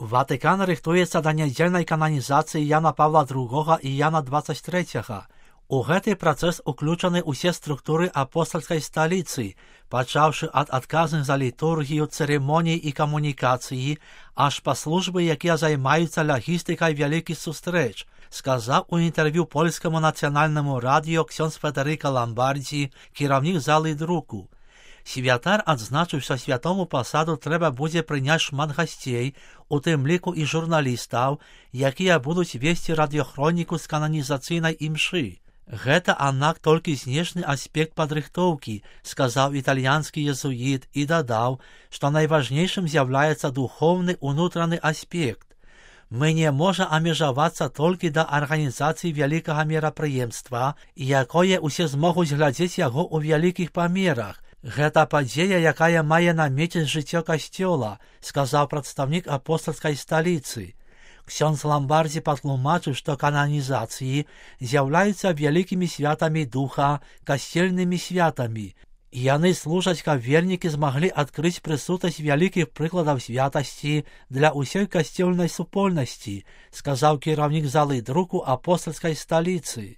Ватыкан рыхтуецца да нядзельнай кананізацыі Яна Павла II і Яна 23. У гэты працэс уключаны ўсе структуры апостальскай сталіцы, пачаўшы ад адказных за літургію, цырымоній і камунікацыі, аж па службы, якія займаюцца лагістыкай вялікіх сустрэч, сказаў у інтэрв'ю польскаму нацыянальнаму радыё ксёндз Федэрыка Ламбардзі, кіраўнік залы друку. Святар адзначыў, што святому пасаду трэба будзе прыняць шмат гасцей, у тым ліку і журналістаў, якія будуць весці радыёхроніку з кананізацыйнай імшы. Гэта, аднак, толькі знешні аспект падрыхтоўкі, сказаў італьянскі езуіт і дадаў, што найважнейшым з'яўляецца духоўны унутраны аспект. Мы не можа абмежавацца толькі да арганізацыі вялікага мерапрыемства, якое ўсе змогуць глядзець яго ў вялікіх памерах. Гэта падзея, якая мае намеціць жыццё касцёла, сказаў прадстаўнік апостальскай сталіцы. Ксёндз Ламбардзі патлумачыў, што кананізацыі з'яўляюцца вялікімі святамі духа, касцельнымі святамі. Яны служаць, каб вернікі змаглі адкрыць прысутнасць вялікіх прыкладаў святасці для ўсёй касцёльнай супольнасці, сказаў кіраўнік залы друку апостальскай сталіцы.